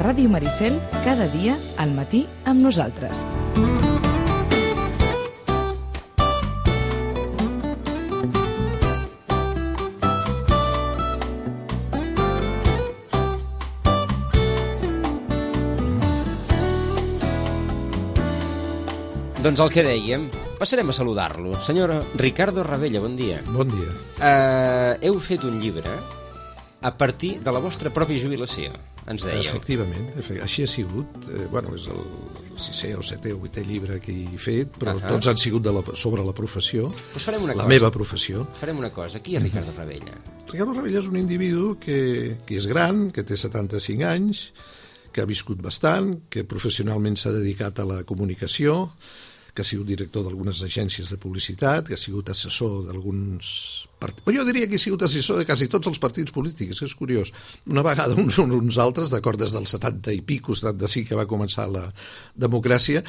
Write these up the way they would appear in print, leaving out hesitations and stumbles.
Ràdio Maricel, cada dia al matí amb nosaltres. Doncs el que dèiem, passarem a saludar-lo. Senyor Ricardo Ravella, bon dia. Bon dia. Heu fet un llibre a partir de la vostra pròpia jubilació, ens dèieu. Efectivament, així ha sigut. És el 6è o 7è o 8è llibre que he fet, però tots han sigut sobre la professió, pues farem una cosa. Meva professió. Farem una cosa. Qui és Ricardo Ravella? Ricardo Ravella és un individu que és gran, que té 75 anys, que ha viscut bastant, que professionalment s'ha dedicat a la comunicació, que ha sigut director d'algunes agències de publicitat, que ha sigut assessor d'alguns partits. Jo diria que ha sigut assessor de quasi tots els partits polítics, és curiós. Una vegada uns altres, d'acord, des dels 70 i pico, 75 que va començar la democràcia,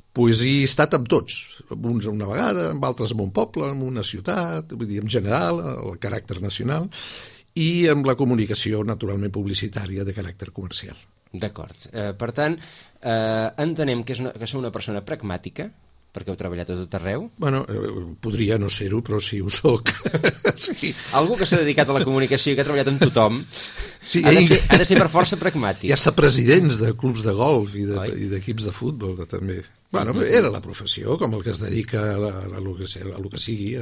pues he estat amb tots, uns una vegada, amb altres en un poble, en una ciutat, vull dir, en general, el caràcter nacional, i amb la comunicació, naturalment, publicitària de caràcter comercial. D'acord. Per tant, entenem que sou una persona pragmàtica, perquè heu treballat a tot arreu. Bueno, podria no ser-ho, però sí ho soc. Sí. Algú que s'ha dedicat a la comunicació i que ha treballat amb tothom sí, ha de ser per força pragmàtic. Hi ha estat presidents de clubs de golf i d'equips de futbol, també. Bueno, era la professió, com el que es dedica a lo que sigui.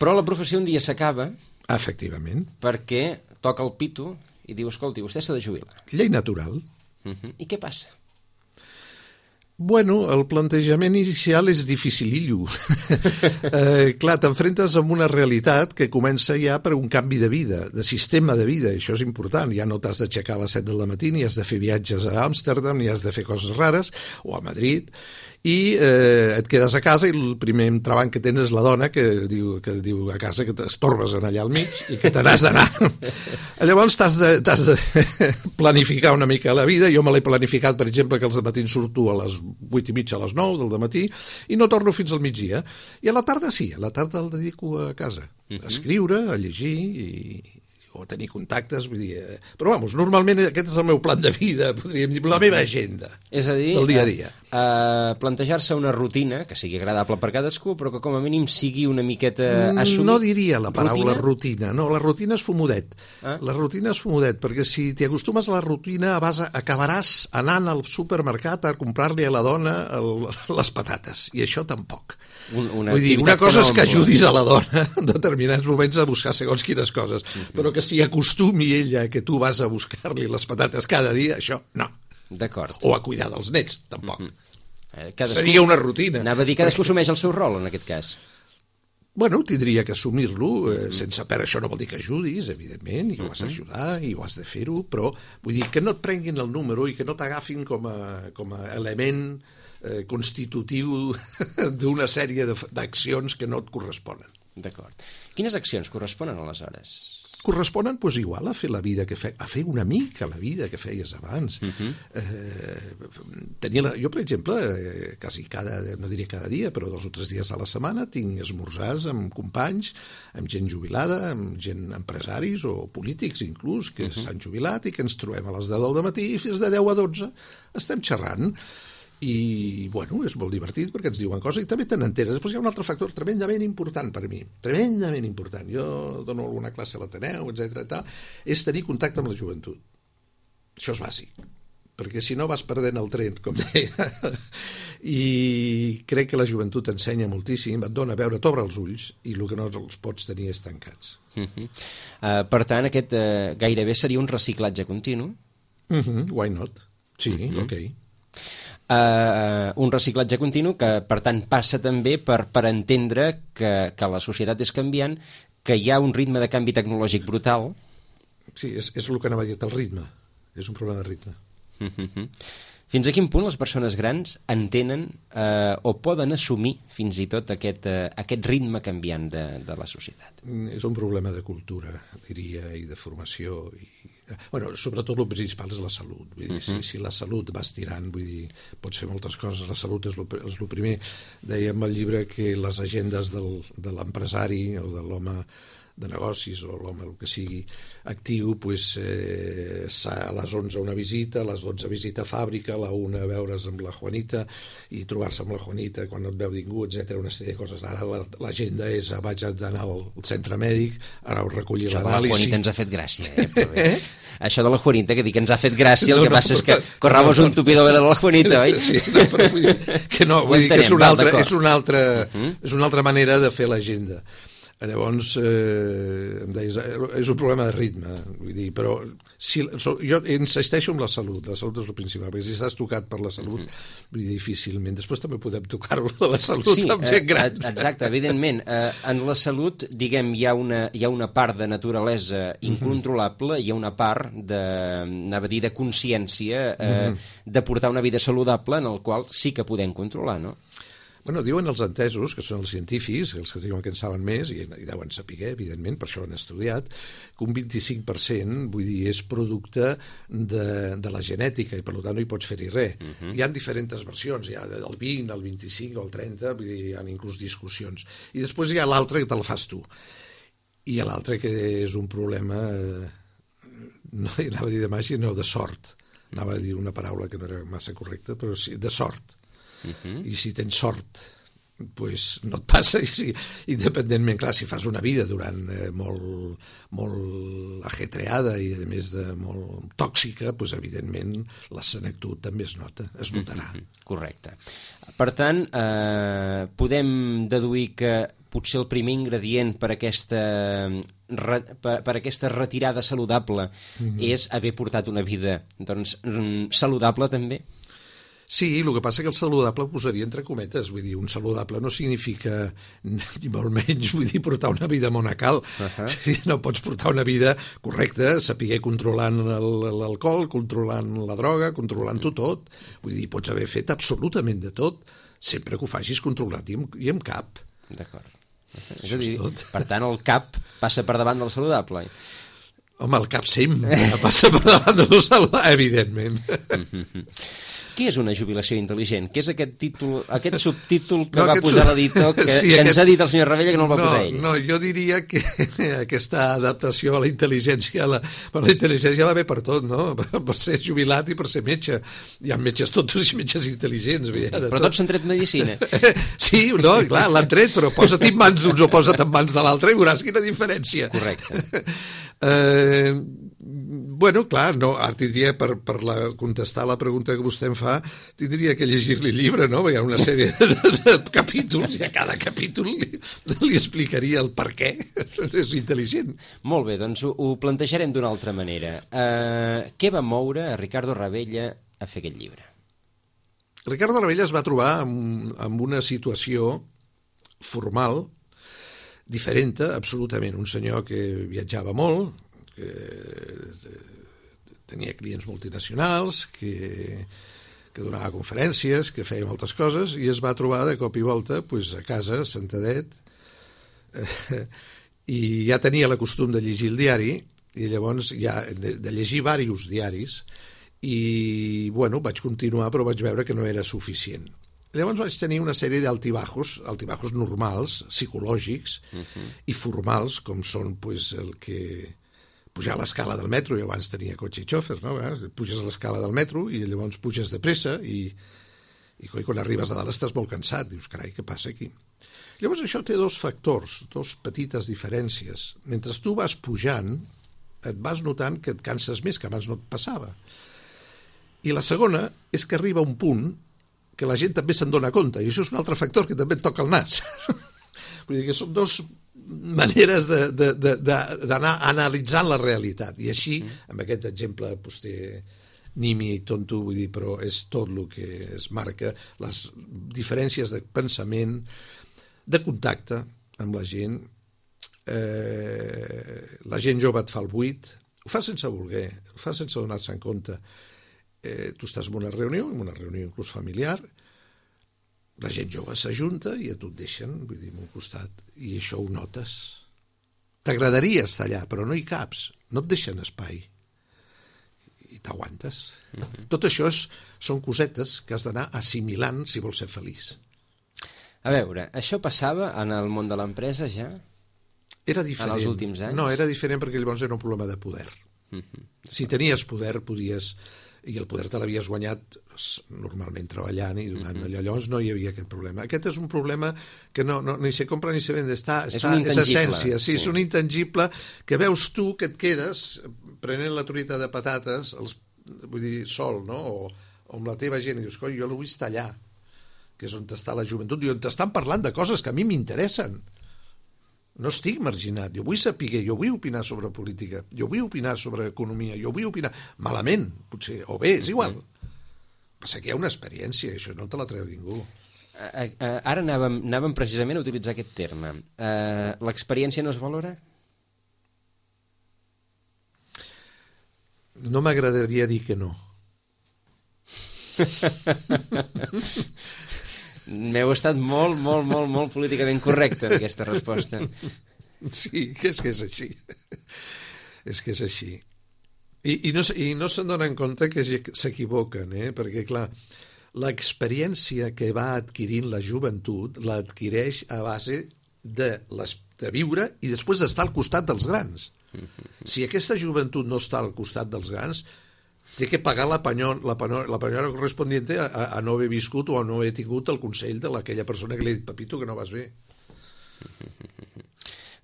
Però la professió un dia s'acaba. Efectivament. Perquè toca el pito i diu, escolti, vostè s'ha de jubilar. Llei natural. I què passa? Bueno, el plantejament inicial és dificilillo. Clar, t'enfrentes amb una realitat que comença ja per un canvi de vida, de sistema de vida, això és important. Ja no t'has d'aixecar a les 7 del matí, ni has de fer viatges a Amsterdam, ni has de fer coses rares, o a Madrid, i et quedes a casa i el primer entrebanc que tens és la dona que diu a casa que t'estorbes allà al mig i que te n'has d'anar. Llavors t'has de planificar una mica la vida. Jo me l'he planificat, per exemple, que els dematins surto a les 8:30 a les 9 del dematí i no torno fins al migdia. I a la tarda sí, a la tarda el dedico a casa, a escriure, a llegir o a tenir contactes, vull dir... Però, vamos, normalment aquest és el meu plan de vida, podríem dir, la meva agenda del dia a dia. Plantejar-se una rutina que sigui agradable per cadascú, però que com a mínim sigui una miqueta assumit. No diria la paraula rutina, no, la rutina és fumodet. La rutina és fumodet, perquè si t'hi acostumes a la rutina acabaràs anant al supermercat a comprar-li a la dona les patates, i això tampoc. Vull dir, una cosa és que ajudis a la dona en determinats moments a buscar segons quines coses, però que si acostumi ella que tu vas a buscar-li les patates cada dia, això no. D'acord. O a cuidar dels nets, tampoc. Seria una rutina. Anava a dir que cadascú assumeix el seu rol, en aquest cas. Bueno, tindria que assumir-lo, sense per això no vol dir que ajudis, evidentment, i ho has d'ajudar, i ho has de fer-ho, però vull dir que no et prenguin el número i que no t'agafin com a element constitutiu d'una sèrie d'accions que no et corresponen. D'acord. Quines accions corresponen aleshores? Corresponen, doncs, igual a fer la vida a fer una mica la vida que feies abans. Jo, per exemple, quasi no diria cada dia, però 2 o 3 dies a la setmana tinc esmorzars amb companys, amb gent jubilada, amb gent empresaris o polítics inclús, que s'han jubilat i que ens trobem a les 10 del matí i fins de 10 a 12 estem xerrant. I, bueno, és molt divertit perquè ens diuen coses i també te n'enteres. Després hi ha un altre factor tremendament important per mi, tremendament important. Jo dono alguna classe a l'Ateneu, etc. És tenir contacte amb la joventut. Això és bàsic, perquè si no vas perdent el tren, com deia. I crec que la joventut t'ensenya moltíssim, et dona a veure, t'obre els ulls i el que no els pots tenir és tancats. Per tant, aquest gairebé seria un reciclatge continu? Why not? Sí, ok. Un reciclatge continu que, per tant, passa també per entendre que la societat és canviant, que hi ha un ritme de canvi tecnològic brutal. Sí, és el que anava a dir, el ritme. És un problema de ritme. Fins a quin punt les persones grans entenen o poden assumir fins i tot aquest ritme canviant de la societat? És un problema de cultura, diria, i de formació. Sobretot el principal és la salut. Vull dir, si la salut vas tirant, vull dir, pots fer moltes coses, la salut és el primer. Dèiem al llibre que les agendes de l'empresari o de l'home de negocis o l'home, el que sigui, actiu, pues, a les 11 una visita, a les 12 visita a fàbrica, a la 1 veure's amb la Juanita i trobar-se amb la Juanita quan no et veu ningú, etc. Una sèrie de coses. Ara l'agenda és vaig anar al centre mèdic, ara ho recollir l'anàlisi. La Juanita ens ha fet gràcia, però bé. Això de la Juanita, que dic que ens ha fet gràcia, el que passa és que corramos un tupido velo de la Juanita, oi? Sí, però vull dir que no, vull dir que és una altra manera de fer l'agenda. Llavors, em deies, és un problema de ritme, vull dir, però jo insisteixo en la salut és el principal, perquè si estàs tocat per la salut, vull dir, difícilment. Després també podem tocar-ho de la salut amb gent gran. Exacte, evidentment. En la salut, diguem, hi ha una part de naturalesa incontrolable, hi ha una part de consciència de portar una vida saludable en el qual sí que podem controlar, no? Bueno, diuen els entesos, que són els científics, els que diuen que en saben més, i deuen saber, evidentment, per això han estudiat, que un 25%, vull dir, és producte de la genètica, i per tant no hi pots fer-hi res. Hi ha diferents versions, hi ha del 20, el 25 o el 30, vull dir, hi ha inclús discussions. I després hi ha l'altre que te'l fas tu. I hi ha l'altre que és un problema, no anava a dir de màgia, no, de sort. Anava a dir una paraula que no era massa correcta, però sí, de sort. I si tens sort, pues no et passa, i independentment, clar, si fas una vida durant molt ajetreada i a més de molt tòxica, pues evidentment la senectut també es notarà. Correcte. Per tant, podem deduir que potser el primer ingredient per aquesta retirada saludable és haver portat una vida saludable també? Sí, el que passa que el saludable ho posaria entre cometes, vull dir, un saludable no significa ni molt menys, vull dir, portar una vida monacal. No pots portar una vida correcta, saber controlant l'alcohol, controlant la droga, controlant-ho tot. Vull dir, pots haver fet absolutament de tot, sempre que ho facis controlat i amb cap. D'acord. És a dir, per tant, el cap passa per davant del saludable. Home, el cap sempre passa per davant del saludable, evidentment. Què és una jubilació intel·ligent? Què és aquest subtítol que va posar l'editor que ens ha dit el senyor Ravella que no el va posar ell? No, jo diria que aquesta adaptació a la intel·ligència, la intel·ligència va bé per tot, no? Per ser jubilat i per ser metge. Hi ha metges tontos i metges intel·ligents. Però tots s'han tret medicina. Sí, no, clar, l'han tret, però posa't en mans d'uns o posa't en mans de l'altre i veuràs quina diferència. Correcte. Bueno, clar, no, ara tindria, per contestar la pregunta que vostè em fa, tindria que llegir-li el llibre, no? Hi ha una sèrie de capítols i a cada capítol li explicaria el per què és intel·ligent. Molt bé, doncs ho plantejarem d'una altra manera. Què va moure a Ricardo Ravella a fer aquest llibre? Ricardo Ravella es va trobar amb una situació formal diferent, absolutament. Un senyor que viatjava molt, que tenia clients multinacionals, que donava conferències, que feia moltes coses, i es va trobar de cop i volta pues, a casa, sentadet, i ja tenia el costum de llegir el diari, i llavors ja de llegir diversos diaris, i bueno, vaig continuar, però vaig veure que no era suficient. Llavors vaig tenir una sèrie d'altibajos normals, psicològics, i formals, com són pues, el que pujar a l'escala del metro, jo abans tenia cotxe i xòfer, no? Puges a l'escala del metro i llavors puges de pressa i quan arribes a dalt estàs molt cansat, dius, carai, què passa aquí? Llavors això té dos factors, dos petites diferències. Mentre tu vas pujant, et vas notant que et canses més, que abans no et passava. I la segona és que arriba un punt que la gent també se'n dona compte, i això és un altre factor que també et toca el nas. Vull dir que són dos maneres d'anar analitzant la realitat, i així, amb aquest exemple nimi i tonto, vull dir, però és tot el que es marca, les diferències de pensament, de contacte amb la gent. La gent jove et fa el buit, ho fa sense voler, ho fa sense donar-se en compte. Tu estàs en una reunió inclús familiar, la gent jove s'ajunta i a tu et deixen, vull dir, a un costat, i això ho notes. T'agradaria estar allà, però no hi caps, no et deixen espai, i t'aguantes. Tot això són cosetes que has d'anar assimilant si vols ser feliç. A veure, això passava en el món de l'empresa ja? Era diferent. En els últims anys? No, era diferent perquè llavors era un problema de poder. Si tenies poder, podies... I el poder te l'havies guanyat normalment treballant i donant allò. Llavors no hi havia aquest problema. Aquest és un problema que no ni se compra ni se vende. És essència. Sí, és un intangible que veus tu que et quedes prenent la truita de patates, vull dir, sol, no? O amb la teva gent, i dius, coi, jo el vull estar allà, que és on està la joventut, i on t'estan parlant de coses que a mi m'interessen. No estic marginat, jo vull saber, jo vull opinar sobre política, jo vull opinar sobre economia, jo vull opinar malament, potser, o bé, és igual. Passa que hi ha una experiència, això no te la treu ningú. Ara anàvem precisament a utilitzar aquest terme. L'experiència no es valora? No m'agradaria dir que no. M'heu estat molt políticament correcte en aquesta resposta. Sí, és que és així. És que és així. I no se'n donen compte que s'equivoquen, perquè, clar, l'experiència que va adquirint la joventut l'adquireix a base de viure i després d'estar al costat dels grans. Si aquesta joventut no està al costat dels grans, té que pagar la penyora correspondiente a no haver viscut o a no haver tingut el consell d'aquella persona que li ha dit, Pepito, que no vas bé.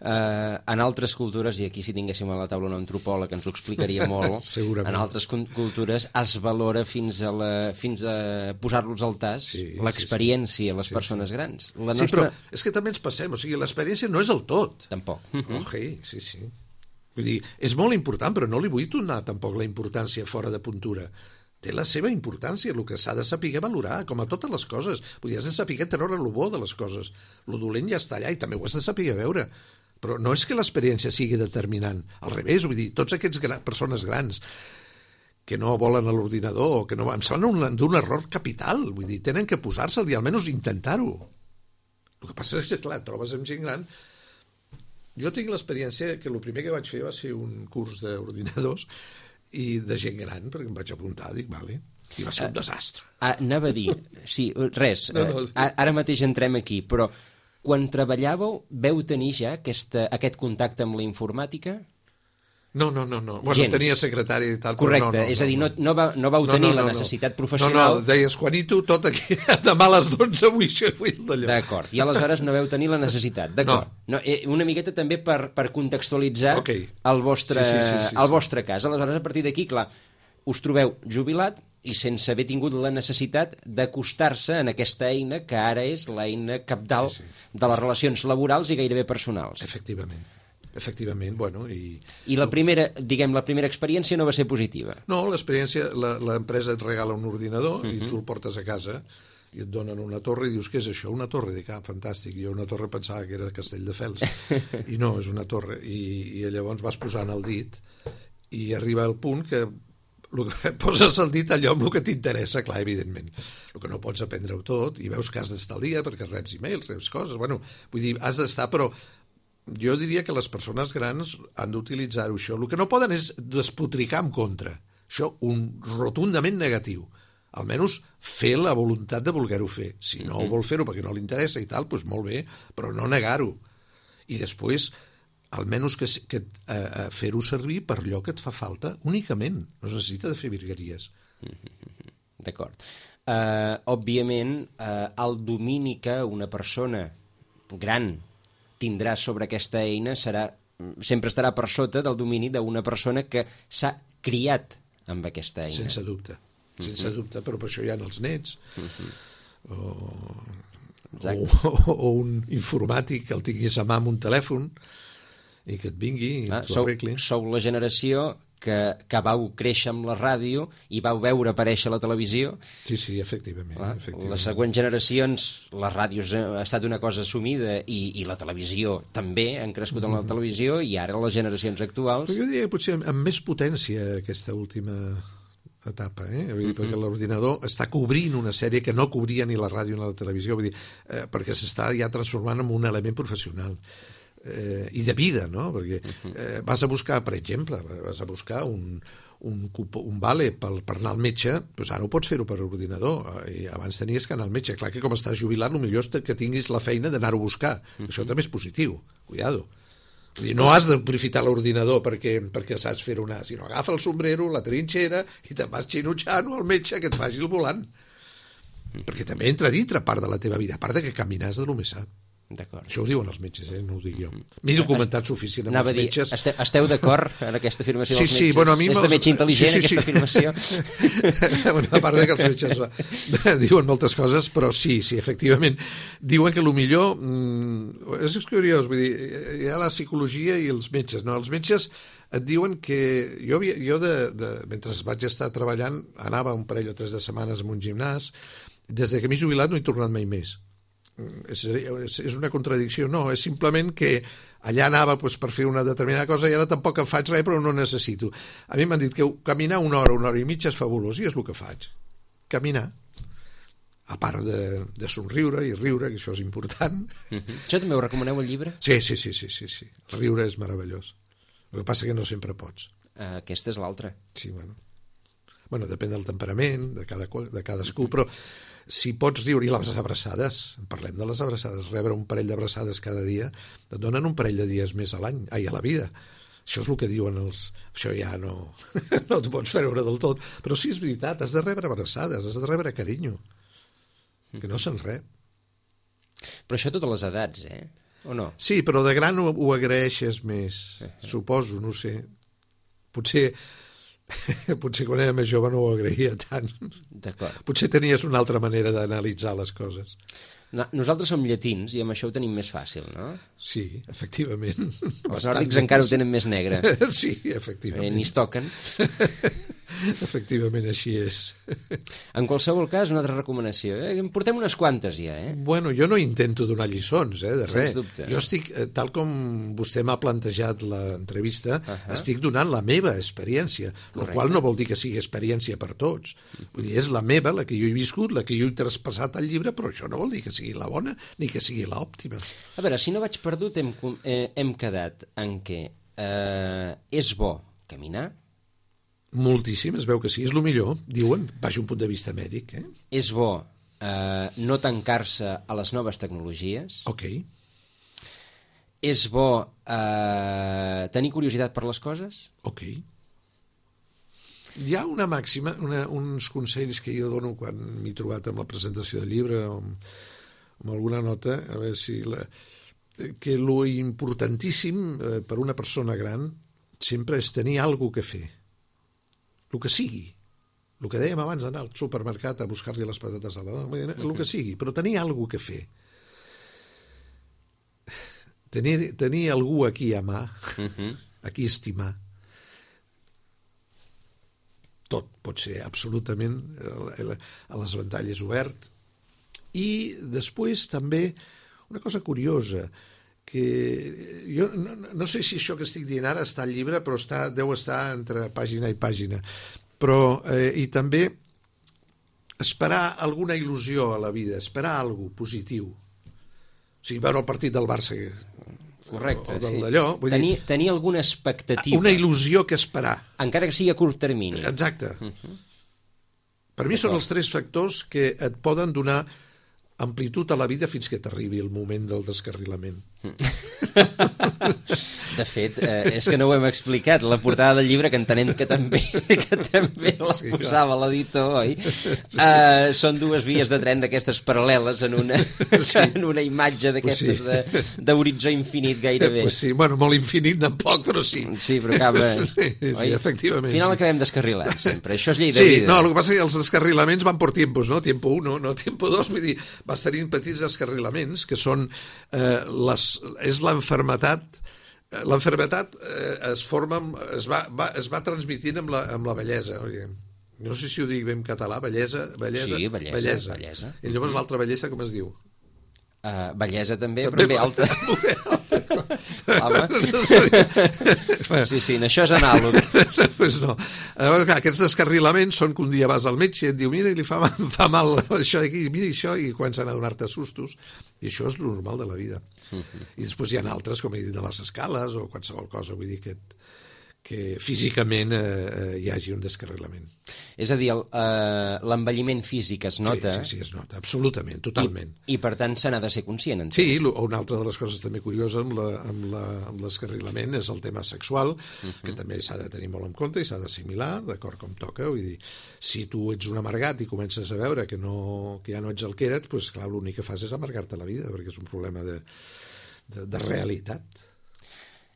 En altres cultures, i aquí si tinguéssim a la taula un antropòleg ens ho explicaria molt, en altres cultures es valora fins a posar-los al tas l'experiència a les persones grans. Sí, però és que també ens passem, o sigui, l'experiència no és el tot. Tampoc. Sí. Vull dir, és molt important, però no li vull donar tampoc la importància fora de puntura. Té la seva importància, el que s'ha de saber valorar, com a totes les coses. Vull dir, has de saber treure el bo de les coses. El dolent ja està allà i també ho has de saber veure. Però no és que l'experiència sigui determinant. Al revés, vull dir, tots aquests persones grans que no volen a l'ordinador, que no, em sembla d'un error capital. Vull dir, tenen que posar-se'l i almenys intentar-ho. El que passa és que, clar, trobes amb gent gran. Jo tinc l'experiència que el primer que vaig fer va ser un curs d'ordinadors i de gent gran, perquè em vaig apuntar, dic, vale, i va ser un desastre. Anava a dir, sí, res, ara mateix entrem aquí, però quan treballàveu veu tenir ja aquest contacte amb la informàtica? No. Bueno, tenia secretari i tal. Correcte, és a dir, no vau tenir la necessitat professional. No, deies, Juanito, tot aquí, demà a les 12 vull d'allò. D'acord, i aleshores no veu tenir la necessitat, d'acord. No, una miqueta també per contextualitzar el vostre cas. Aleshores, a partir d'aquí, clar, us trobeu jubilat i sense haver tingut la necessitat d'acostar-se en aquesta eina que ara és l'eina cabdal de les relacions laborals i gairebé personals. Efectivament, bueno... I la primera experiència no va ser positiva? No, l'experiència, l'empresa et regala un ordinador i tu el portes a casa i et donen una torre i dius, què és això? Una torre? Dic, fantàstic. Jo una torre pensava que era Castelldefels. I no, és una torre. I llavors vas posant el dit i arriba el punt que poses el dit allò amb el que t'interessa, clar, evidentment. El que no pots aprendre-ho tot i veus que has d'estar al dia perquè reps e-mails, reps coses. Bueno, vull dir, has d'estar, però jo diria que les persones grans han d'utilitzar-ho, això. El que no poden és despotricar en contra. Això, rotundament negatiu. Almenys fer la voluntat de voler-ho fer. Si no vol fer-ho perquè no li interessa i tal, doncs molt bé, però no negar-ho. I després, almenys que fer-ho servir per allò que et fa falta únicament. No es necessita de fer virgueries. D'acord. Òbviament, el domini que una persona gran tindrà sobre aquesta eina sempre estarà per sota del domini d'una persona que s'ha criat amb aquesta eina. Sense dubte, però per això hi ha els nets, o un informàtic que el tinguis a mà amb un telèfon i que et vingui i t'ho arregli. Sou la generació que vau créixer amb la ràdio i vau veure aparèixer la televisió. Sí, efectivament. Les següents generacions, la ràdio ha estat una cosa assumida i la televisió també, han crescut amb la televisió, i ara les generacions actuals... Però jo diria que potser amb més potència aquesta última etapa, perquè l'ordinador està cobrint una sèrie que no cobria ni la ràdio ni la televisió, vull dir, perquè s'està ja transformant en un element professional. I de vida, no? Perquè vas a buscar, per exemple, un vale per anar al metge, doncs ara ho pots fer-ho per ordinador, i abans tenies que anar al metge. Clar que com estàs jubilat, el millor és que tinguis la feina d'anar-ho a buscar. Això també és positiu, cuidado. Vull dir, no has d'aprofitar l'ordinador perquè saps fer una, sinó agafa el sombrero, la trinxera i te'n vas xinutxant al metge que et faci el volant. Perquè també entra dintre part de la teva vida, a part de que caminar és de lo més sa. D'acord. Això ho diuen els metges, no ho dic jo. M'he documentat suficient amb els metges. Esteu d'acord en aquesta afirmació dels metges? Sí, bueno, a mi és de metge intel·ligent, aquesta afirmació? Bueno, a part que els metges diuen moltes coses, però sí, efectivament. Diuen que el millor... És curiós, vull dir, hi ha la psicologia i els metges, no? Els metges et diuen que... Jo mentre vaig estar treballant, anava un parell o 3 de setmanes en un gimnàs, des que m'he jubilat no he tornat mai més. És una contradicció, no, és simplement que allà anava per fer una determinada cosa i ara tampoc en faig res, però no necessito. A mi m'han dit que caminar una hora i mitja és fabulós, i és el que faig, caminar, a part de somriure i riure, que això és important. Això també ho recomaneu al llibre? Sí, el riure és meravellós, el que passa que no sempre pots. Aquesta és l'altra. Sí, bueno, depèn del temperament de cadascú, però si pots riure, i les abraçades, parlem de les abraçades, rebre un parell d'abraçades cada dia, et donen un parell de dies més a l'any, a la vida. Això és el que diuen els... Això ja no t'ho pots treure del tot, però sí, és veritat, has de rebre abraçades, has de rebre carinyo, que no se'n rep. Però això a totes les edats, o no? Sí, però de gran ho agraeixes més, suposo, no sé. Potser quan era més jove no ho agraïa tant. D'acord. Potser tenies una altra manera d'analitzar les coses. Nosaltres som llatins i amb això ho tenim més fàcil, no? Sí, efectivament. Els nòrdics encara ho tenen més negre. Sí, efectivament. Ni es toquen. Efectivament, així és. En qualsevol cas, una altra recomanació. En portem unes quantes ja, Bueno, jo no intento donar lliçons, de res. Sens dubte. Jo estic, tal com vostè m'ha plantejat l'entrevista, estic donant la meva experiència, el qual no vol dir que sigui experiència per tots. Vull dir, és la meva, la que jo he viscut, la que jo he traspassat al llibre, però això no vol dir que sigui la bona ni que sigui l'òptima. A veure, si no vaig perdut, hem quedat en què és bo caminar. Moltíssim, es veu que sí, és el millor, diuen, baix un punt de vista mèdic. És bo no tancar-se a les noves tecnologies. Ok. És bo tenir curiositat per les coses. Ok. Hi ha una màxima, uns consells que jo dono quan m'he trobat amb la presentació del llibre o amb alguna nota, a veure si... que lo importantíssim per una persona gran sempre és tenir alguna que fer. El que sigui, el que dèiem abans d'anar al supermercat a buscar-li les patates a la dona, el que sigui, però tenir alguna que fer. Tenir algú aquí a mà, aquí estimar. Tot pot ser absolutament a les ventalles obert. I després també una cosa curiosa, que jo no sé si això que estic dient ara està al llibre, però deu estar entre pàgina i pàgina, però i també esperar alguna il·lusió a la vida, esperar alguna cosa positiu, o sigui, veure el partit del Barça correcte, o d'allò, vull dir, tenir alguna expectativa, una il·lusió que esperar, encara que sigui a curt termini. Exacte. Per mi són els 3 factors que et poden donar amplitud a la vida fins que t'arribi el moment del descarrilament. De fet, és que no ho hem explicat, la portada del llibre, que entenem que també la posava l'editor, oi? Són 2 vies de tren d'aquestes paral·leles en una imatge d'aquestes d'horitzó infinit gairebé. Sí, bueno, molt infinit tampoc, però sí. Sí, però acaba... Sí, efectivament. Al final acabem descarrilant sempre, això és llei de vida. Sí, no, el que passa és que els descarrilaments van per tiempos, no? Tiempo 1, no tiempo 2, vull dir, vas tenint petits descarrilaments que són és l'enfermetat. L'enfermetat es va transmitint amb la bellesa. No sé si ho dic bé en català, bellesa. Sí, bellesa. I llavors l'altra bellesa com es diu? Bellesa també, però ben alta. Sí, això és anàleg. Pues no. Aquests descarrilaments són que un dia vas al metge i et diu, mira, li fa mal això d'aquí, mira això, i comencen a donar-te sustos. I això és el normal de la vida. I després hi ha altres, com he dit, de les escales o qualsevol cosa, vull dir que físicament hi hagi un descarrilament. És a dir, l'envelliment físic es nota. Sí, es nota, absolutament, totalment. I per tant se n'ha de ser conscient. Sí, una altra de les coses també curioses amb l'escarrilament és el tema sexual, que també s'ha de tenir molt en compte i s'ha d'assimilar, d'acord com toca. Vull dir, si tu ets un amargat i comences a veure que ja no ets el que eres, doncs clar, l'únic que fas és amargar-te la vida, perquè és un problema de realitat.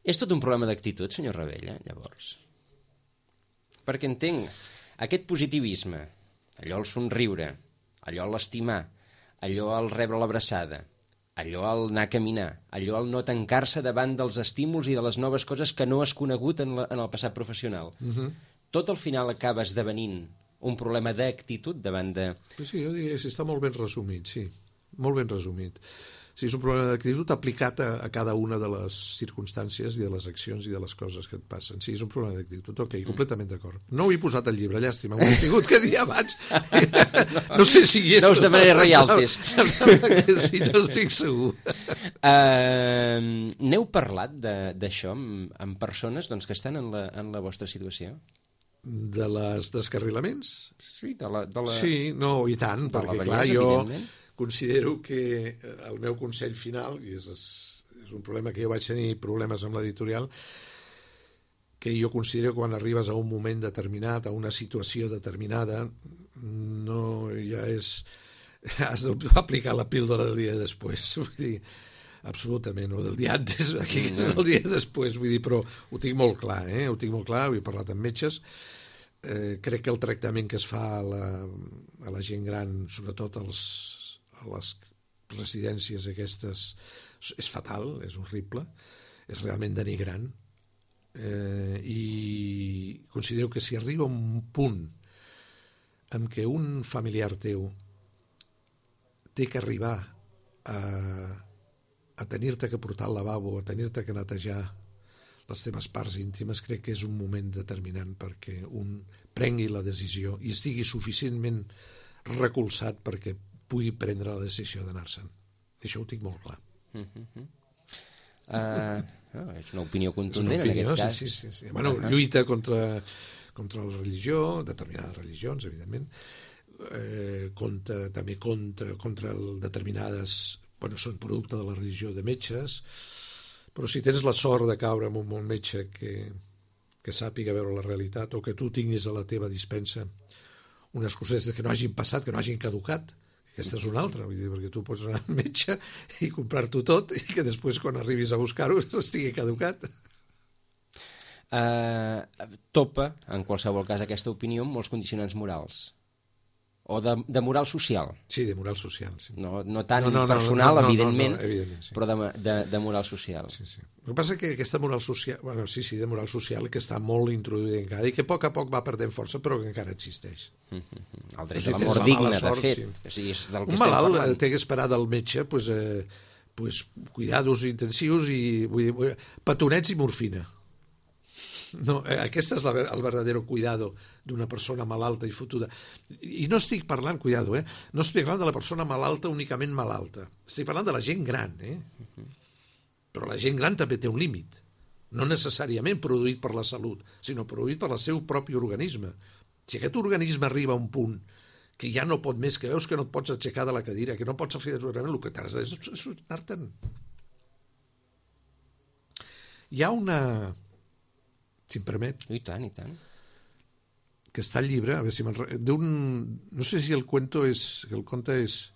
És tot un problema d'actitud, senyor Ravella, llavors? Perquè entenc, aquest positivisme, allò al somriure, allò a l'estimar, allò al rebre l'abraçada, allò al anar a caminar, allò al no tancar-se davant dels estímuls i de les noves coses que no has conegut en el passat professional. Tot al final acaba esdevenint un problema d'actitud davant de... Sí, jo diria que està molt ben resumit, sí, molt ben resumit. Sí, és un problema d'actitud aplicat a cada una de les circumstàncies i de les accions i de les coses que et passen. Sí, és un problema d'actitud. Ok, completament d'acord. No ho he posat al llibre, llàstima, ho he tingut que dir abans. No sé si hi és... No us demanaré royalties. Sí, no estic segur. N'heu parlat d'això amb persones que estan en la vostra situació? De les descarrilaments? Sí, Sí, no, i tant, perquè clar, jo considero que el meu consell final, i és un problema que jo vaig tenir problemes amb l'editorial, que jo considero que quan arribes a un moment determinat, a una situació determinada, no ja és... has d'aplicar la píldora del dia després, vull dir, absolutament, o del dia antes, aquí és el dia després, vull dir, però ho tinc molt clar, ho tinc molt clar, ho he parlat amb metges. Crec que el tractament que es fa a la gent gran, sobretot a les residències aquestes, és fatal, és horrible, és realment denigrant, i considero que si arriba un punt en què un familiar teu té que arribar a tenir-te que portar al lavabo, a tenir-te que netejar les teves parts íntimes, crec que és un moment determinant perquè un prengui la decisió i estigui suficientment recolzat perquè pugui prendre la decisió d'anar-se'n. Això ho tinc molt clar. És una opinió contundent en aquest cas. Sí. Bueno, lluita contra la religió, determinades religions, evidentment, també contra determinades... Bueno, són producte de la religió de metges, però si tens la sort de caure en un metge que sàpiga veure la realitat o que tu tinguis a la teva dispensa unes cosetes que no hagin passat, que no hagin caducat, aquesta és una altra, vull dir, perquè tu pots anar al metge i comprar-t'ho tot i que després quan arribis a buscar-ho estigui caducat. Topa, en qualsevol cas, aquesta opinió amb molts condicionants morals. O de moral social. Sí, de moral social, sí. No tant personal, evidentment, sí. Però de moral social. Sí. El que passa és que aquesta moral social, de moral social, que està molt introduïda encara i que a poc va perdent força, però que encara existeix. El dret a la mort digne, de fet. Sí. Un malalt té que esperar del metge cuidados intensius i petonets i morfina. No, aquest és el verdadero cuidado d'una persona malalta i fotuda. I no estic parlant, cuidado, no estic parlant de la persona malalta únicament malalta. Estic parlant de la gent gran, Però la gent gran també té un límit. No necessàriament produït per la salut, sinó produït per el seu propi organisme. Si aquest organisme arriba a un punt que ja no pot més, que veus que no et pots aixecar de la cadira, que no pots fer el que t'has de és anar-te'n. Hi ha una... si em permet. I tant. Que està al llibre, a veure si no sé si el conte és...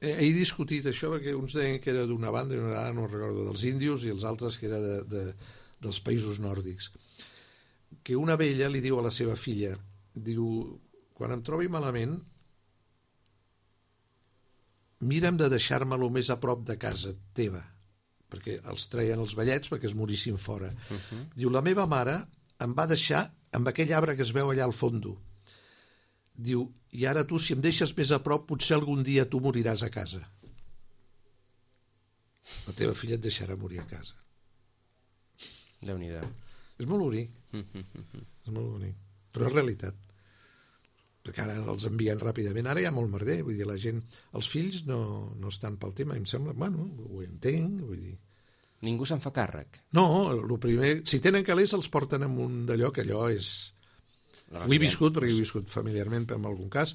He discutit això perquè uns deien que era d'una banda i una altra, no recordo, dels índios, i els altres que era dels països nòrdics. Que una vella li diu a la seva filla, diu, quan em trobi malament, mira'm de deixar-me lo més a prop de casa teva, perquè els treien els vellets perquè es morissin fora. Diu, la meva mare em va deixar amb aquell arbre que es veu allà al fondo. Diu, i ara tu, si em deixes més a prop, potser algun dia tu moriràs a casa. La teva filla et deixarà morir a casa. Déu-n'hi-do. És molt bonic. És molt bonic. Però és realitat. Perquè ara els envien ràpidament. Ara hi ha molt merder. Vull dir, la gent... Els fills no estan pel tema. Em sembla... Bueno, ho entenc. Vull dir... Ningú se'n fa càrrec. No, el primer, si tenen calés els porten en un d'allò, que allò és... Ho he viscut, perquè he viscut familiarment en algun cas,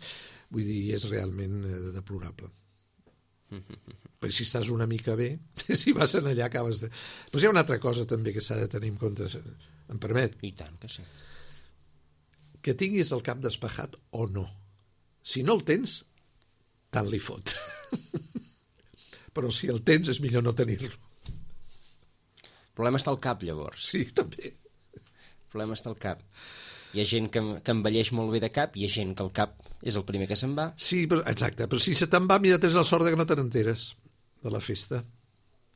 vull dir, és realment deplorable. Perquè si estàs una mica bé, si vas allà acabes de... Però hi ha una altra cosa també que s'ha de tenir en compte, em permet? I tant que sí. Que tinguis el cap despejat o no. Si no el tens, tant li fot. Però si el tens és millor no tenir-lo. El problema està al cap, llavors. Sí, també. El problema està al cap. Hi ha gent que envelleix molt bé de cap, hi ha gent que el cap és el primer que se'n va. Sí, però, exacte, però si se te'n va, mira, tens la sort que no te n'enteres de la festa.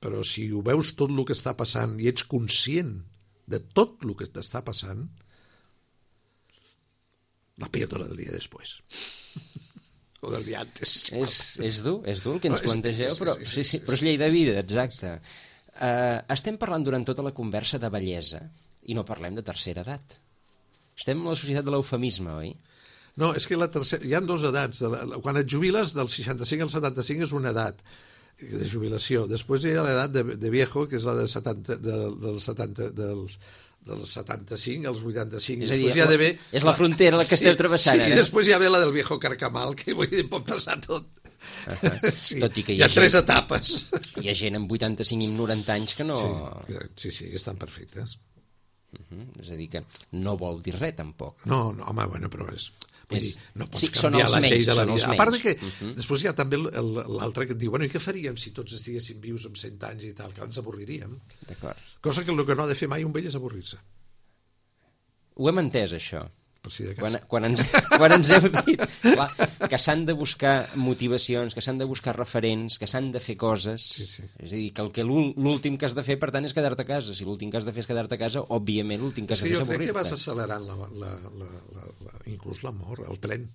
Però si ho veus tot el que està passant i ets conscient de tot el que t'està passant, la píldora del dia després. O del dia antes. És dur el que ens plantegeu, però és llei de vida, exacte. Estem parlant durant tota la conversa de bellesa i no parlem de tercera edat. Estem en la societat de l'eufemisme, oi? No, és que hi ha dues edats. Quan et jubiles, del 65 al 75 és una edat de jubilació. Després hi ha l'edat de viejo, que és la de 70, dels 75 als 85. És a dir, és la frontera la que esteu travessant. Sí, i després hi ha la del viejo carcamal, que vull dir, pot passar tot. Sí, tot i que hi ha 3 etapes. Hi ha gent amb 85 i 90 anys que no... Sí, estan perfectes. És a dir, que no vol dir res, tampoc. No, home, bueno, però és... Vull dir, no pots sí, canviar la llei de la vida. A part de que després hi ha també l'altre que et diu, bueno, i què faríem si tots estiguéssim vius amb 100 anys i tal? Que ens avorriríem. D'acord. Cosa que el que no ha de fer mai un vell és avorrir-se. Ho hem entès, això. Per si de cas. Quan ens heu dit clar, que s'han de buscar motivacions, que s'han de buscar referents, que s'han de fer coses, sí. És a dir, que l'últim que has de fer, per tant, és quedar-te a casa. Si l'últim que has de fer és quedar-te a casa, òbviament l'últim que has de fer és avorrir-te. Jo crec que vas accelerant inclús la mort, el tren.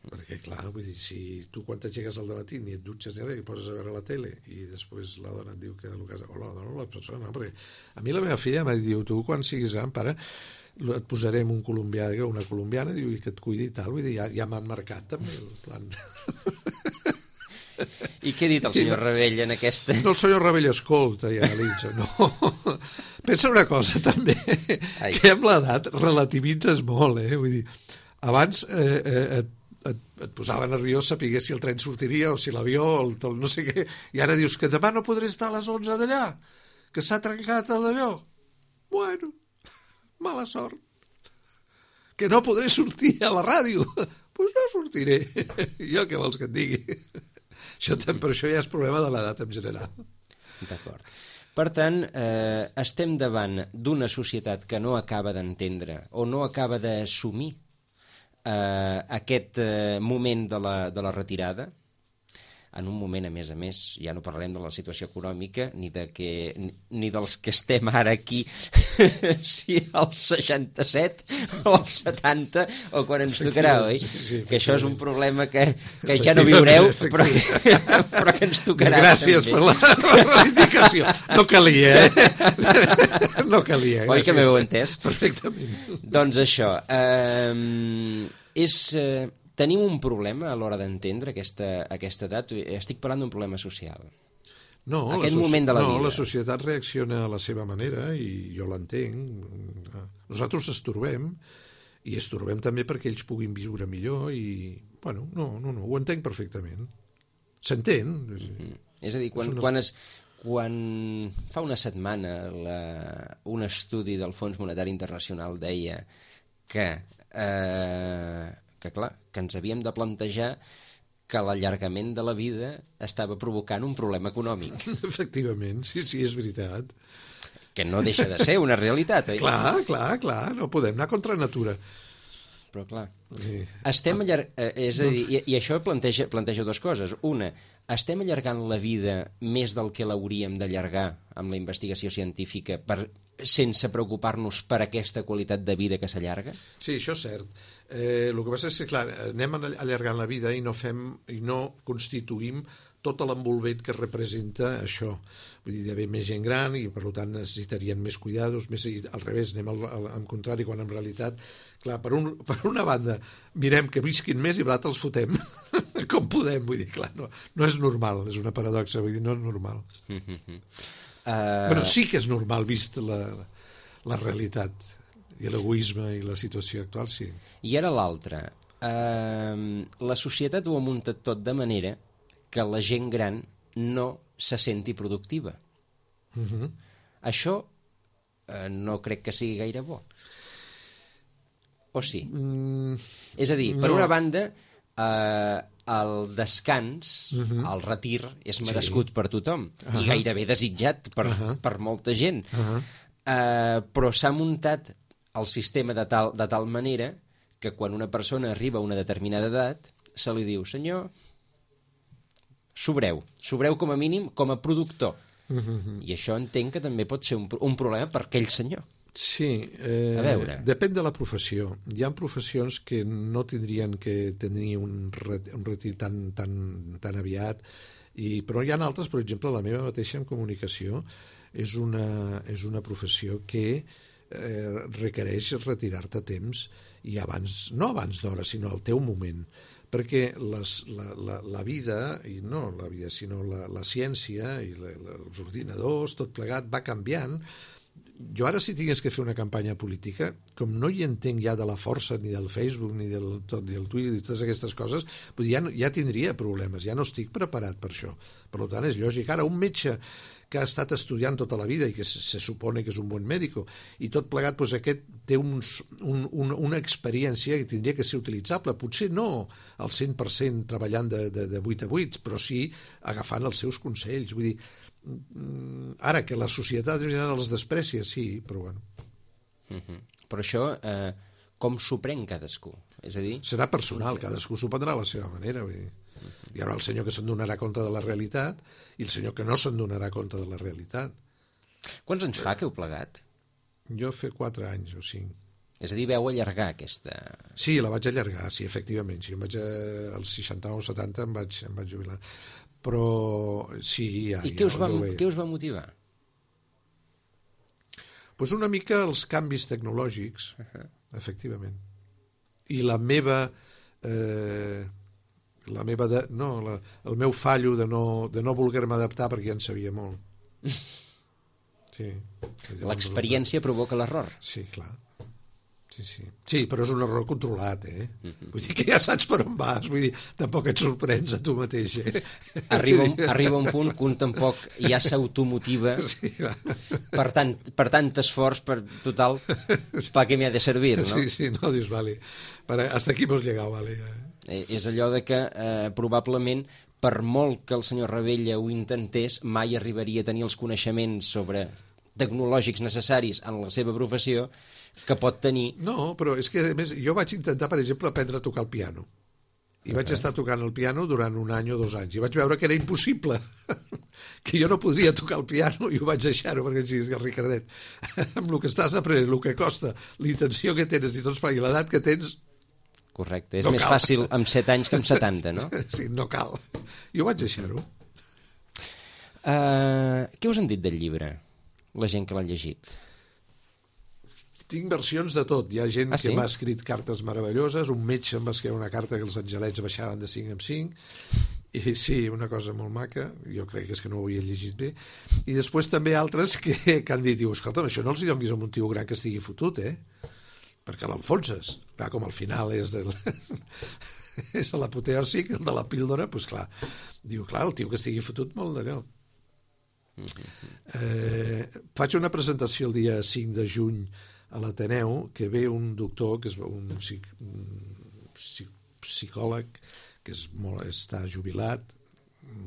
Perquè, clar, vull dir, si tu quan t'aixeques al dematí ni et dutxes ni res, i poses a veure la tele i després la dona et diu que el cas... o la dona o la persona, no? Perquè a mi la meva filla m'ha dit, tu quan siguis gran, pare, et posarem un colombià, una colombiana, diu, i que et cuidi i tal, vull dir, ja m'han marcat també el plan. I què ha dit el senyor Rebell en aquesta? No, el senyor Rebell escolta i analitza, no. Pensa una cosa també, que amb l'edat relativitzes molt, vull dir, abans et posava nerviós saber si el tren sortiria o si l'avió o no sé què, i ara dius que demà no podré estar a les 11 d'allà, que s'ha trencat l'avió. Bueno, mala sort. Que no podré sortir a la ràdio. Pues no sortiré. Jo què vols que et digui? Per això ja és problema de l'edat en general. D'acord. Per tant, estem davant d'una societat que no acaba d'entendre o no acaba d'assumir aquest moment de la retirada, en un moment, a més, ja no parlarem de la situació econòmica ni dels que estem ara aquí, si als 67 o als 70 o quan ens tocarà, oi? Sí, que això és un problema que ja no viureu, però que ens tocarà. Gràcies per la indicació. No calia, No calia. Oi que m'heu entès? Perfectament. Doncs això, tenim un problema a l'hora d'entendre aquesta edat. Estic parlant d'un problema social. No, aquest moment de la vida. No, la societat reacciona a la seva manera i jo l'entenc. Nosaltres estorbem i estorbem també perquè ells puguin viure millor i, bueno, no, ho entenc perfectament. S'entén. És a dir, quan fa una setmana un estudi del Fons Monetari Internacional deia que clar, que ens havíem de plantejar que l'allargament de la vida estava provocant un problema econòmic. Efectivament, sí, és veritat. Que no deixa de ser una realitat, oi? Clar, no podem anar contra natura. Però clar, estem és a dir, i això planteja dues coses. Una, estem allargant la vida més del que l'hauríem d'allargar amb la investigació científica sense preocupar-nos per aquesta qualitat de vida que s'allarga? Sí, això és cert. El que passa és que, clar, anem allargant la vida i no constituïm tot l'envolvent que representa això. Vull dir, hi ha més gent gran i, per tant, necessitarien més cuidados, al revés, anem al contrari, quan en realitat, clar, per una banda, mirem que visquin més i per l'altra els fotem com podem. Vull dir, clar, no és normal, és una paradoxa, vull dir, no és normal. Bueno, sí que és normal, vist la realitat i l'egoisme i la situació actual, sí. I ara l'altre. La societat ho ha muntat tot de manera que la gent gran no se senti productiva. Això no crec que sigui gaire bo. O sí? És a dir, per una banda, el descans, el retir, és merescut per tothom i gairebé desitjat per molta gent. Però s'ha muntat el sistema de tal manera que quan una persona arriba a una determinada edat se li diu: senyor, sobreu com a mínim com a productor. I això entenc que també pot ser un problema per aquell senyor. Sí, a veure. Depèn de la professió. Hi ha professions que no tindrien que tenir un retir tan aviat, però hi ha altres, per exemple, la meva mateixa en comunicació és una professió que requereix retirar-te a temps i no abans d'hora, sinó al teu moment, perquè la vida, i no la vida, sinó la ciència i els ordinadors, tot plegat, va canviant. Jo ara, si tingués que fer una campanya política, com no hi entenc ja de la força ni del Facebook ni del Twitter i totes aquestes coses, ja tindria problemes, ja no estic preparat per això. Per tant, és lògic. Ara, un metge que ha estat estudiant tota la vida i que se supone que és un bon mèdic i tot plegat, doncs aquest té una experiència que tindria que ser utilitzable, potser no al 100% treballant de 8 a 8, però sí agafant els seus consells. Vull dir, ara que la societat en general els desprecia, sí, però bueno. Però això com s'ho pren cadascú? És a dir, serà personal, cadascú s'ho prendrà a la seva manera, vull dir. Hi haurà el senyor que se'n donarà compte de la realitat i el senyor que no se'n donarà compte de la realitat. Quants anys fa que heu plegat? Jo fa 4 anys o 5. És a dir, veu allargar aquesta... Sí, la vaig allargar, sí, efectivament. Sí, als 69 o 70 em vaig jubilar. Però sí, ja... I què us va motivar? Pues una mica els canvis tecnològics, efectivament. I el meu fallo de no voler-me adaptar perquè ja en sabia molt. Sí. L'experiència provoca l'error. Sí, clar. Sí, però és un error controlat, Vull dir que ja saps per on vas, vull dir, tampoc et sorprens a tu mateix, Arriba un punt que un tampoc ja s'automotiva per tant esforç, per total, per què m'ha de servir, no? Sí, no, dius, vale, hasta aquí hemos llegado, vale. És allò de que probablement, per molt que el senyor Ravella ho intentés, mai arribaria a tenir els coneixements tecnològics necessaris en la seva professió que pot tenir... No, però és que, a més, jo vaig intentar, per exemple, aprendre a tocar el piano. I vaig estar tocant el piano durant 1 any o 2 anys. I vaig veure que era impossible, que jo no podria tocar el piano i ho vaig deixar-ho, perquè sí, el Ricardet, amb el que estàs aprenent, el que costa, l'intenció que tens i i l'edat que tens... Correcte, és més fàcil amb 7 anys que amb 70, no? Sí, no cal. I ho vaig deixar-ho. Què us han dit del llibre, la gent que l'ha llegit? Tinc versions de tot. Hi ha gent que m'ha escrit cartes meravelloses, un metge em va escriure una carta que els angelets baixaven de 5 en 5, i sí, una cosa molt maca, jo crec que és que no ho havia llegit bé, i després també altres que han dit, escolta'm, això no els donis a un tio gran que estigui fotut, perquè l'enfonses. Clar, com al final és és l'apoteòsic, el de la píldora, doncs clar, diu, clar, el tio que estigui fotut molt d'allò. Faig una presentació el dia 5 de juny a l'Ateneu, que ve un doctor, que és un psicòleg, que està jubilat,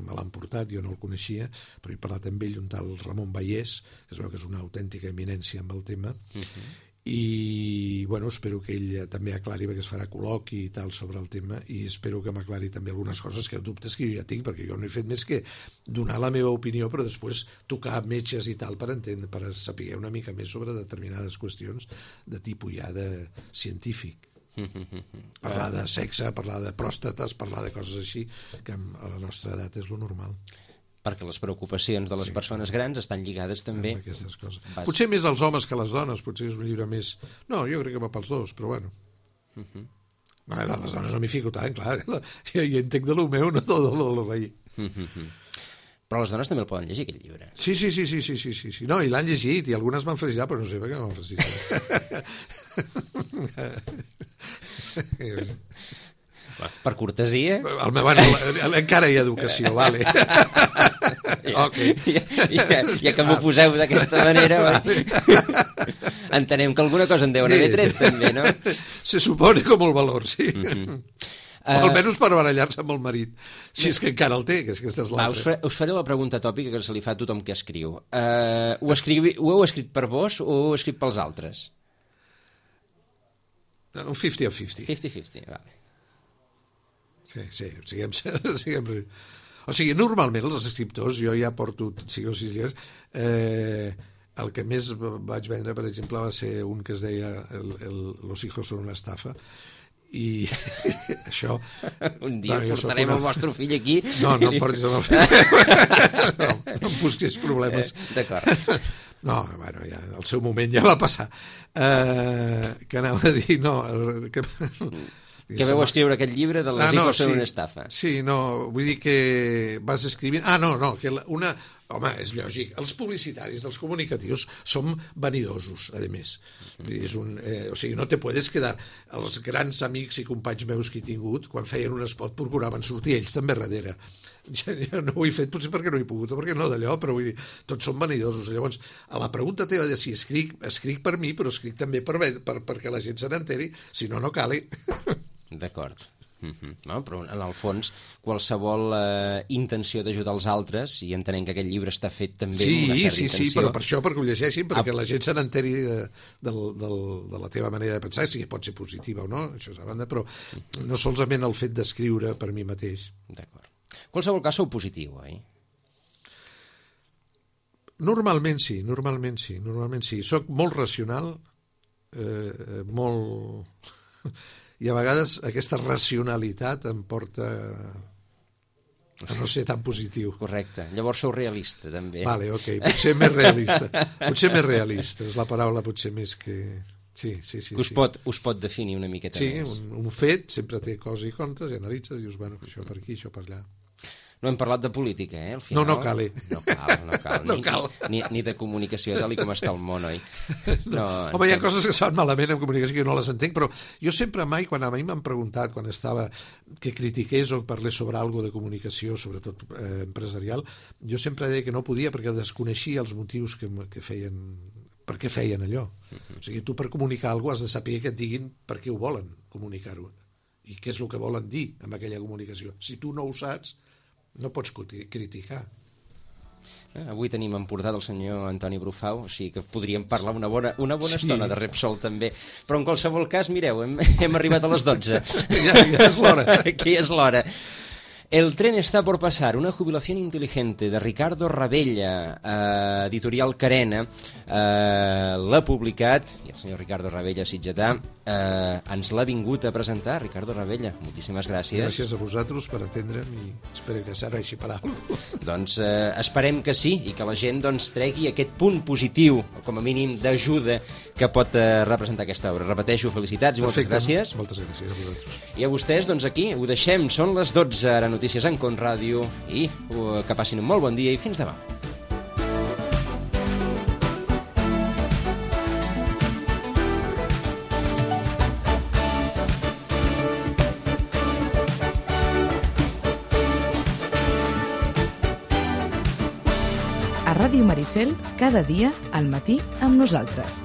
me l'han portat, jo no el coneixia, però he parlat amb ell, un tal Ramon Vallès, que es veu que és una autèntica eminència amb el tema, i bueno, espero que ell també aclari, perquè es farà col·loqui i tal sobre el tema, i espero que m'aclari també algunes coses, dubtes que jo ja tinc, perquè jo no he fet més que donar la meva opinió, però després tocar metges i tal per entendre, per saber una mica més sobre determinades qüestions de tipus ja de científic. Parlar de sexe, parlar de pròstates, parlar de coses així, que a la nostra edat és lo normal. Perquè les preocupacions de les persones grans estan lligades també amb aquestes coses. Potser més als homes que a les dones, potser és un llibre més... No, jo crec que va pels dos, però bueno. Les dones no m'hi fico tant, clar. Jo entenc de lo meu, no de lo veí. Però les dones també el poden llegir, aquest llibre. Sí. No, i l'han llegit, i algunes m'han felicitat, però no sé per què m'han felicitat. Per cortesia... Bueno, encara hi ha educació, vale. Okay. Ja que m'ho poseu d'aquesta manera, entenem que alguna cosa en deuen haver tret, també, no? Se supone com el valor, sí. O almenys per barallar-se amb el marit, si és que encara el té, que és aquesta és l'altra. Us faré la pregunta tòpica que se li fa a tothom que escriu. Ho heu escrit per vos o ho heu escrit pels altres? Un 50-50. 50-50, vale. Sí, siguem... O sigui, normalment els escriptors, jo ja porto 5 o 6 llibres, el que més vaig vendre, per exemple, va ser un que es deia Los hijos son una estafa, i això... Un dia portarem el vostre fill aquí... No em portis el meu fill. No em busquis problemes. D'acord. No, bueno, ja, el seu moment ja va passar. Que anava a dir... No, que vau escriure aquest llibre de les hijos són una estafa. Sí, no, vull dir que vas escrivint... no, que una... Home, és lògic, els publicitaris dels comunicatius som vanidosos, a més. O sigui, no te puedes quedar... Els grans amics i companys meus que he tingut, quan feien un spot, procuraven sortir ells també darrere. Jo no ho he fet, potser perquè no he pogut, o perquè no d'allò, però vull dir, tots som vanidosos. Llavors, a la pregunta teva de si escric per mi, però escric també perquè la gent se n'enteri, si no, no cale. D'acord. No, però en el fons qualsevol intenció d'ajudar els altres, i entenem que aquest llibre està fet també amb una certa intenció. Sí, però per això, perquè ho llegeixin, perquè la gent se n'enteri de la teva manera de pensar, si pot ser positiva o no, això és a banda, però no solament el fet d'escriure per mi mateix. D'acord. Qualsevol cas sou positiu, oi? Normalment sí. Soc molt racional, molt... I a vegades aquesta racionalitat em porta a no ser tan positiu. Correcte. Llavors sou realista, també. Vale, ok. Potser més realista. És la paraula potser més que... Sí. Us pot definir una miqueta més. Sí, un fet sempre té coses i contes, i analitzes, i dius, bueno, això per aquí, això per allà. No hem parlat de política, al final. No cal. No cal. Ni de comunicació, tal com està el món, oi? Home, hi ha coses que es fan malament en comunicació que jo no les entenc, però jo sempre quan a mi m'han preguntat, quan estava que critiqués o parlés sobre alguna de comunicació, sobretot empresarial, jo sempre deia que no podia perquè desconeixia els motius que feien, per què feien allò. O sigui, tu per comunicar alguna cosa has de saber que et diguin per què ho volen comunicar-ho i què és el que volen dir amb aquella comunicació. Si tu no ho saps, no pots criticar. Avui tenim emportat el senyor Antoni Brufau, o sigui que podríem parlar una bona estona de Repsol també, però en qualsevol cas, mireu, hem arribat a les 12. Ja és l'hora. Aquí és l'hora. El tren está por pasar, una jubilación inteligente de Ricardo Ravella, editorial Carena, l'ha publicat, i el senyor Ricardo Ravella sitgetà ens l'ha vingut a presentar. Ricardo Ravella, moltíssimes gràcies. Gràcies a vosaltres per atendre'm i espero que serveixi per alguna cosa. Doncs esperem que sí, i que la gent tregui aquest punt positiu, o com a mínim d'ajuda, que pot representar aquesta obra. Repeteixo, felicitats i moltes gràcies. Moltes gràcies a vosaltres. I a vostès, doncs aquí ho deixem, són les 12, ara notícies en Con Ràdio, i que passin un molt bon dia i fins demà. A Ràdio Maricel, cada dia al matí amb nosaltres.